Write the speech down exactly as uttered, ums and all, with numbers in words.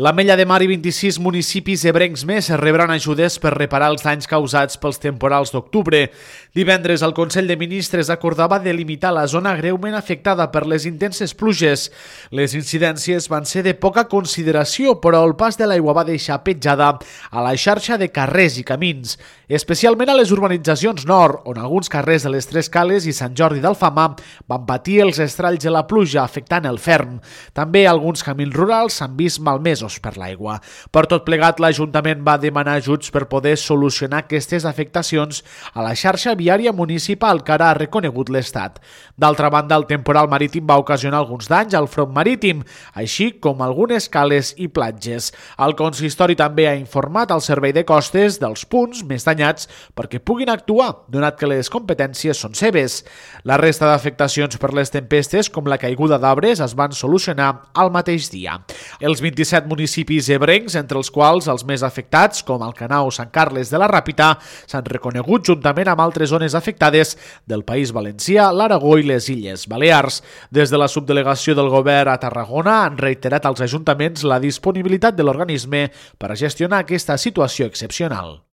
L'Ametlla de Mar i vint-i-sis municipis ebrencs més rebran ajudes per reparar els danys causats pels temporals d'octubre. Divendres, el Consell de Ministres acordava delimitar la zona greument afectada per les intenses pluges. Les incidències van ser de poca consideració, però el pas de l'aigua va deixar petjada a la xarxa de carrers i camins, especialment a les urbanitzacions nord, on alguns carrers de les Tres Cales i Sant Jordi d'Alfamar van patir els estralls de la pluja, afectant el ferm. També alguns camins rurals s'han vist malmesos per l'aigua. Per tot plegat, l'Ajuntament va demanar ajuts per poder solucionar aquestes afectacions a la xarxa viària municipal que ara ha reconegut l'Estat. D'altra banda, el temporal marítim va ocasionar alguns danys al front marítim, així com algunes cales i platges. El consistori també ha informat al Servei de Costes dels punts més danyats perquè puguin actuar, donat que les competències són seves. La resta d'afectacions per les tempestes, com la caiguda d'arbres, es van solucionar al mateix dia. Els vint-i-set municipis ebrencs, entre els quals els més afectats, com Alcanau o Sant Carles de la Ràpita, s'han reconegut juntament amb altres zones afectades del País Valencià, l'Aragó i les Illes Balears. Des de la subdelegació del govern a Tarragona han reiterat als ajuntaments la disponibilitat de l'organisme per a gestionar aquesta situació excepcional.